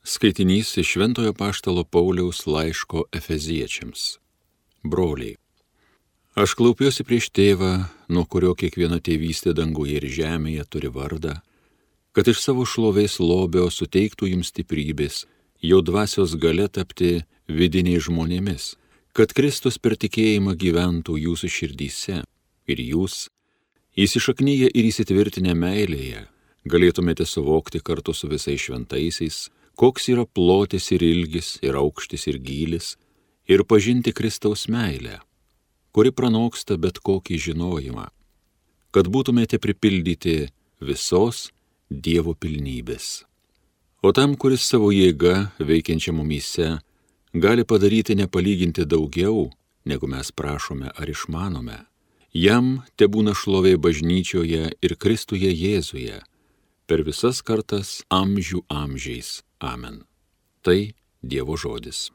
Skaitinys iš Šventojo Apaštalo Pauliaus laiško Efeziečiams. Broliai, aš klaupiuosi prieš tėvą, nuo kurio kiekviena tėvystė danguje ir žemėje turi vardą, kad iš savo šlovės lobio suteiktų jums stiprybės, jo dvasios galia tapti vidiniais žmonėmis, kad Kristus per tikėjimą gyventų jūsų širdyse ir jūs, įsišaknyję ir įsitvirtinę meilėje, galėtumėte suvokti kartu su visais šventaisiais, koks yra plotis ir ilgis, ir aukštis ir gylis, ir pažinti Kristaus meilę, kuri pranoksta bet kokį žinojimą, kad būtumėte pripildyti visos Dievo pilnybės. O tam, kuris savo jėga veikiančia mumyse gali padaryti nepalyginti daugiau, negu mes prašome ar išmanome, jam tebūna šlovė bažnyčioje ir Kristuje Jėzuje, per visas kartas amžių amžiais. Amen. Tai Dievo žodis.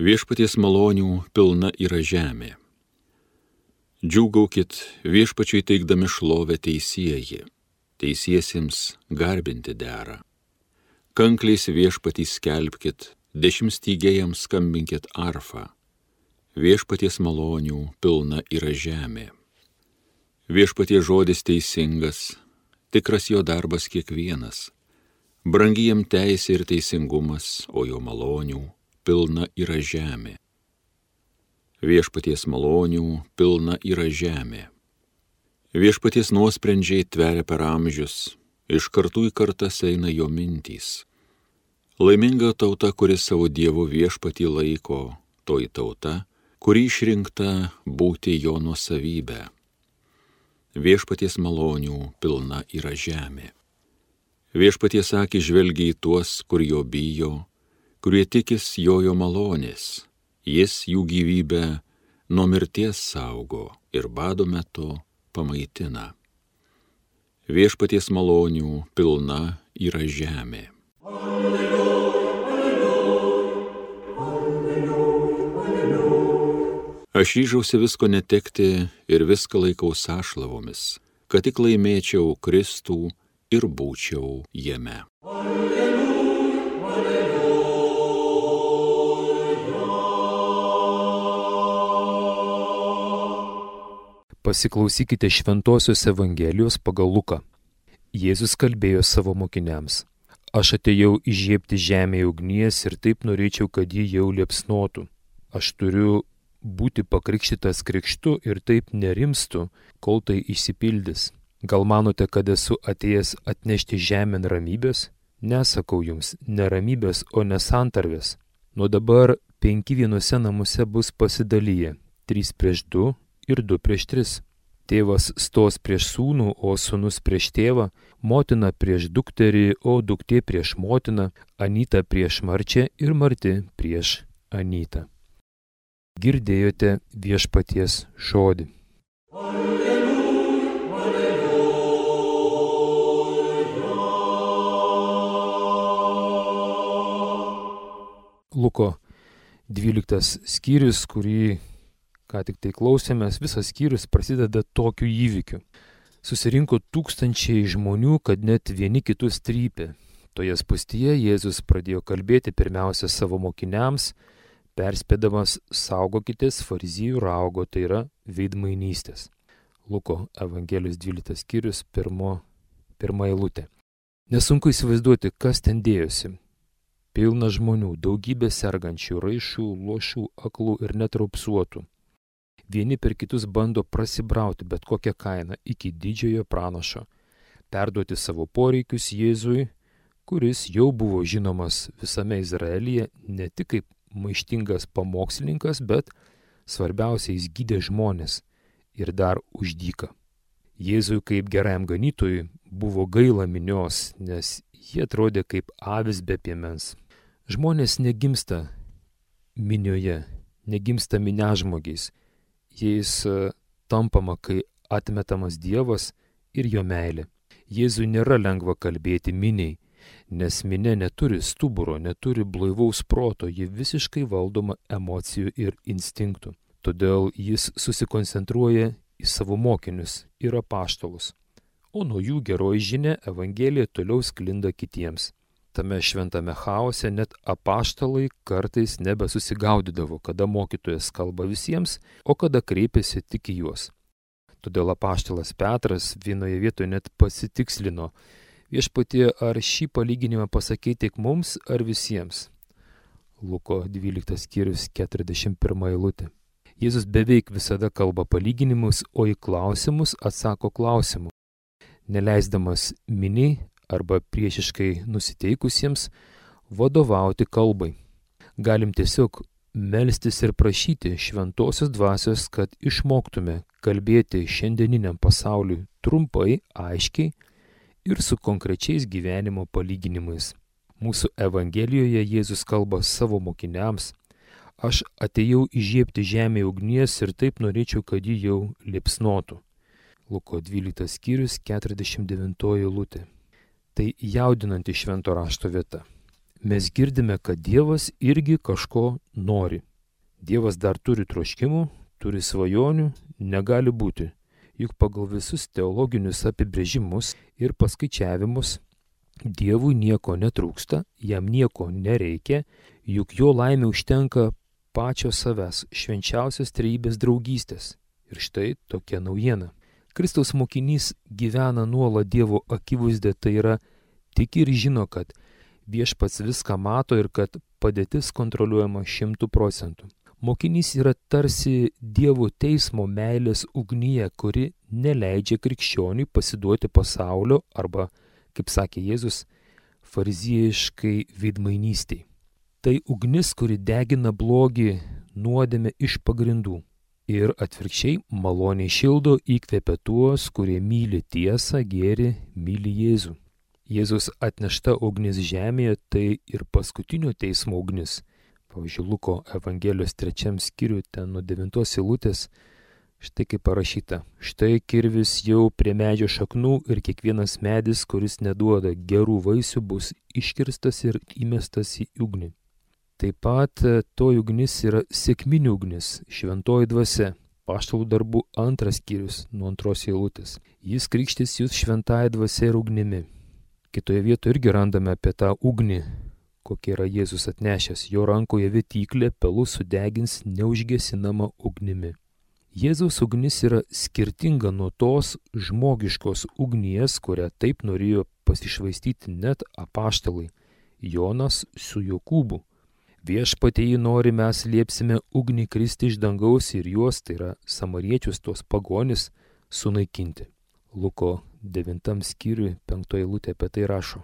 Viešpaties malonių pilna yra žemė. Džiūgaukit viešpačiui teikdami šlovę teisieji, teisiesiems garbinti dera. Kankliais viešpatį skelbkit, dešimtstygėjams skambinkit arfą. Viešpaties malonių pilna yra žemė. Viešpaties žodis teisingas, tikras jo darbas kiekvienas. Brangi jam teisė ir teisingumas, o jo malonių pilna yra žemė. Viešpaties malonių pilna yra žemė. Viešpaties nuosprendžiai tveria per amžius, iš kartų į kartas eina jo mintys. Laiminga tauta, kuris savo Dievo viešpatį laiko, toji tauta, kuri išrinkta būti jo nuosavybė. Viešpaties malonių pilna yra žemė. Viešpaties akys žvelgia į tuos, kur jo bijo, kurie tikis jo malonės. Jis jų gyvybę nuo mirties saugo ir bado metu pamaitina. Viešpaties malonių pilna yra žemė. Alleluja, alleluja, alleluja. Aš ryžausi visko netekti ir viską laikau sąšlavomis, kad tik laimėčiau Kristų ir būčiau jame. Pasiklausykite Šventosios Evangelijos pagal Luką. Jėzus kalbėjo savo mokiniams: Aš atėjau įžiebti žemėje ugnies ir taip norėčiau, kad ji jau liepsnotų. Aš turiu būti pakrikštytas krikštu ir taip nerimstu, kol tai išsipildys. Gal manote, kad esu atėjęs atnešti žemėn ramybės? Nesakau jums, ne ramybės, o nesantarvės. Nuo dabar 5 vienose namuose bus pasidalyję, 3 prieš 2 ir 2 prieš 3. Tėvas stos prieš sūnų, o sūnus prieš tėvą, motina prieš dukterį, o duktė prieš motiną, anyta prieš marčią ir marti prieš anytą. Girdėjote viešpaties žodį. Alleluja, alleluja. Luko 12 skyrius, kurį ką tik tai klausėmės, visas skyrius prasideda tokiu įvykiu. Susirinko tūkstančiai žmonių, kad net vieni kitus trypė. Toje spūstyje Jėzus pradėjo kalbėti pirmiausia savo mokiniams, perspėdamas: saugokitės farizijų raugo, tai yra veidmainystės. Luko Evangelijos 12 skyrius, pirma eilutė. Nesunku įsivaizduoti, kas ten dėjosi. Pilna žmonių, daugybė sergančių, raišų, luošų, aklų ir net raupsuotų. Vieni per kitus bando prasibrauti bet kokią kainą iki didžiojo pranašo, perduoti savo poreikius Jėzui, kuris jau buvo žinomas visame Izraelyje ne tik kaip maištingas pamokslininkas, bet svarbiausia, jis gydė žmonės ir dar už dyką. Jėzui kaip gerajam ganytojui buvo gaila minios, nes jie atrodė kaip avis be piemens. Žmonės negimsta minioje, negimsta minežmogiais. Jais tampama, kai atmetamas Dievas ir jo meilė. Jėzui nėra lengva kalbėti miniai, nes minia neturi stuburo, neturi blaivaus proto, ji visiškai valdoma emocijų ir instinktų. Todėl jis susikoncentruoja į savo mokinius ir apaštalus, o nuo jų geroji žinia Evangelija toliau sklinda kitiems. Tame šventame chaose net apaštalai kartais nebesusigaudydavo, kada mokytojas kalba visiems, o kada kreipiasi tik į juos. Todėl apaštalas Petras vienoje vietoje net pasitikslino: Viešpatie, ar šį palyginimą pasakei tik mums ar visiems? Luko 12 skyrius 41 eilutė. Jėzus beveik visada kalba palyginimus, o į klausimus atsako klausimu, neleisdamas miniai arba priešiškai nusiteikusiems vadovauti kalbai. Galim tiesiog melstis ir prašyti šventosios dvasios, kad išmoktume kalbėti šiandieniniam pasauliui trumpai, aiškiai ir su konkrečiais gyvenimo palyginimais. Mūsų Evangelijoje Jėzus kalba savo mokiniams: Aš atėjau įžiebti žemėje ugnies ir taip norėčiau, kad ji jau liepsnotų. Luko 12 skyrius 49 eilutė. Tai jaudinanti švento rašto vieta. Mes girdime, kad Dievas irgi kažko nori. Dievas dar turi troškimų, turi svajonių, negali būti. Juk pagal visus teologinius apibrėžimus ir paskaičiavimus Dievui nieko netrūksta, jam nieko nereikia, juk jo laimė užtenka pačio savęs, švenčiausios trejybės draugystės. Ir štai tokia naujiena. Kristaus mokinys gyvena nuolat Dievo akivaizdoje, tai yra tik ir žino, kad Viešpats viską mato ir kad padėtis kontroliuojama 100%. Mokinys yra tarsi Dievo teismo meilės ugnyje, kuri neleidžia krikščioniui pasiduoti pasaulio arba, kaip sakė Jėzus, fariziejiškai veidmainystiai. Tai ugnis, kuri degina blogį, nuodėmę iš pagrindų. Ir atvirkščiai maloniai šildo, įkvepia tuos, kurie myli tiesą, gėrį, myli Jėzų. Jėzus atnešta ugnis žemėje, tai ir paskutinio teismo ugnis. Pavyzdžiui, Luko Evangelijos 3 skyriuje, ten nuo 9 eilutės, štai kaip parašyta: Štai kirvis jau prie medžio šaknų ir kiekvienas medis, kuris neduoda gerų vaisių, bus iškirstas ir įmestas į ugnį. Taip pat to ugnis yra sekminių ugnis, šventoji dvasia. Apaštalų darbų 2 skyrius nuo 2 eilutės. Jis krikštys jūs šventąja dvasia ir ugnimi. Kitoje vietoje irgi randame apie tą ugnį, kokia yra Jėzus atnešęs. Jo rankoje vytyklė pelus sudegins neužgesinama ugnimi. Jėzaus ugnis yra skirtinga nuo tos žmogiškos ugnies, kurią taip norėjo pasišvaistyti net apaštalai Jonas su Jokūbu. Viešpatie jį nori, mes liepsime ugnį kristi iš dangaus ir juos, tai yra samariečius, tos pagonis, sunaikinti. Luko 9 skyriui 5 eilutė apie tai rašo.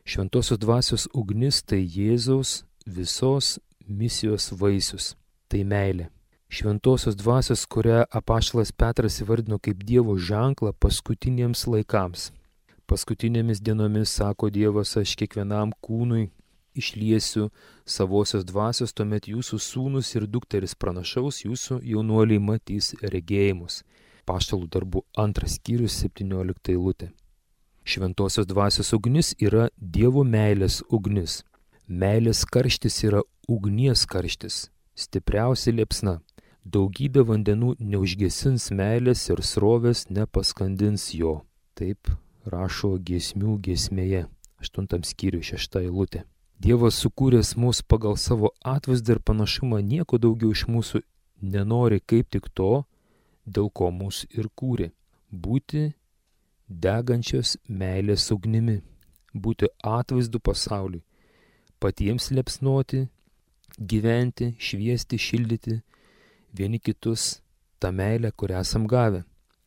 Šventosios dvasios ugnis tai Jėzaus visos misijos vaisius, tai meilė. Šventosios dvasios, kurią apaštalas Petras įvardino kaip Dievo ženklą paskutiniems laikams. Paskutinėmis dienomis, sako Dievas, aš kiekvienam kūnui išliesiu savosios dvasios, tuomet jūsų sūnus ir dukteris pranašaus, jūsų jaunuoliai matys regėjimus. Apaštalų darbų 2 skyrius 17 eilutė. Šventosios dvasios ugnis yra Dievo meilės ugnis. Meilės karštis yra ugnies karštis, stipriausia liepsna. Daugybė vandenų neužgesins meilės ir srovės nepaskandins jo. Taip rašo giesmių giesmėje, 8 skyriui 6 eilutė. Dievas sukūręs mus pagal savo atvaizdą ir panašumą nieko daugiau iš mūsų nenori kaip tik to, dėl ko mus ir kūrė. Būti degančios meilės ugnimi, būti atvaizdu pasauliui, patiems liepsnoti, gyventi, šviesti, šildyti vieni kitus tą meilę, kurią esam gavę.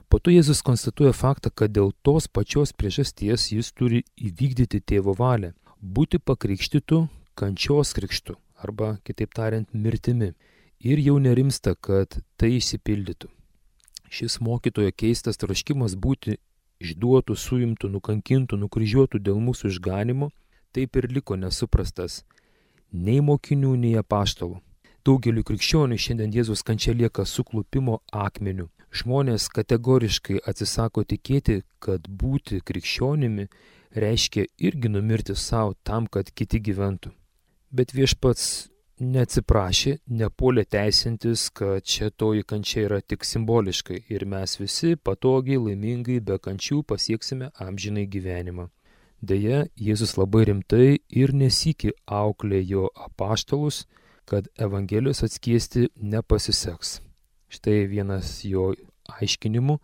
Po to Jėzus konstatuoja faktą, kad dėl tos pačios priežasties jis turi įvykdyti tėvo valią. Būti pakrikštytų kančios krikštu, arba, kitaip tariant, mirtimi. Ir jau nerimsta, kad tai išsipildytų. Šis mokytojo keistas troškimas būti išduotų, suimtų, nukankintų, nukryžiuotų dėl mūsų išganimo, taip ir liko nesuprastas nei mokinių, nei apaštalų. Daugeliu krikščionių šiandien Jėzaus kančia lieka suklupimo akmeniu. Žmonės kategoriškai atsisako tikėti, kad būti krikščionimi reiškia irgi numirti savo tam, kad kiti gyventų. Bet Viešpats neatsiprašė, nepuolė teisintis, kad čia toji kančia yra tik simboliškai ir mes visi patogiai, laimingai, be kančių pasieksime amžinai gyvenimą. Deja, Jėzus labai rimtai ir nesykį auklė jo apaštalus, kad Evangelijos atskiesti nepasiseks. Štai vienas jo aiškinimų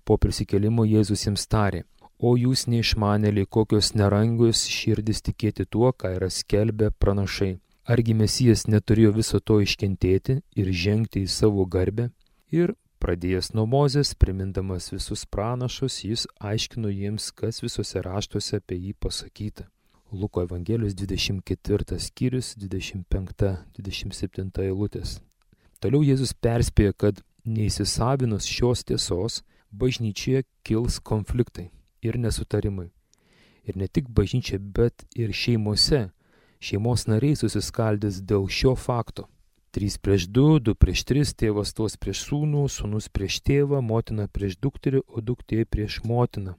po prisikėlimo Jėzus jiems tarė: o jūs neišmanėliai, kokios nerangios širdis tikėti tuo, ką yra skelbę pranašai. Argi Mesijas neturėjo viso to iškentėti ir žengti į savo garbę? Ir pradėjęs nuo Mozės, primindamas visus pranašus, jis aiškino jiems, kas visuose raštuose apie jį pasakyta. Luko Evangelijos 24 skyrius, 25-27 eilutės. Toliau Jėzus perspėjo, kad neįsisavinus šios tiesos, bažnyčioje kils konfliktai ir nesutarimai. Ir ne tik bažnyčia, bet ir šeimose. Šeimos nariai susiskaldys dėl šio fakto. 3:2, 2:3, tėvas stos prieš sūnų, sūnus prieš tėvą, motina prieš dukterį, o duktė prieš motiną.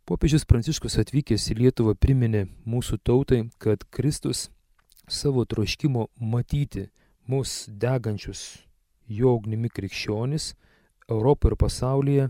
Popiežius Pranciškus atvykęs į Lietuvą priminė mūsų tautai, kad Kristus savo troškimo matyti mus degančius jo ugnimi krikščionis Europoje ir pasaulyje,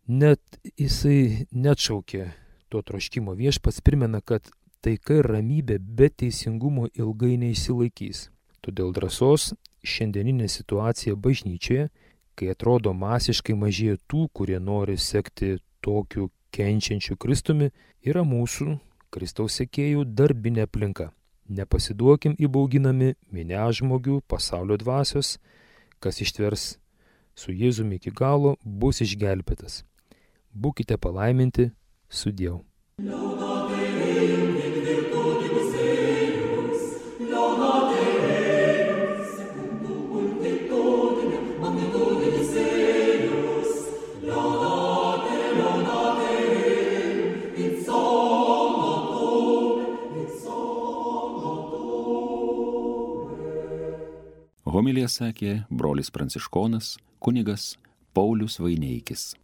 net jisai neatšaukė to troškimo. Viešpats primena, kad taika ir ramybė be teisingumo ilgai neišsilaikys. Todėl drąsos šiandieninė situacija bažnyčioje, kai atrodo masiškai mažėja tų, kurie nori sekti tokiu kenčiančiu Kristumi, yra mūsų, Kristaus sekėjų, darbinė aplinka. Nepasiduokim įbauginami miniažmogių, pasaulio dvasios, kas ištvers su Jėzumi iki galo, bus išgelbėtas. Būkite palaiminti, sudieu. Homiliją sakė brolis pranciškonas kunigas Paulius Vaineikis.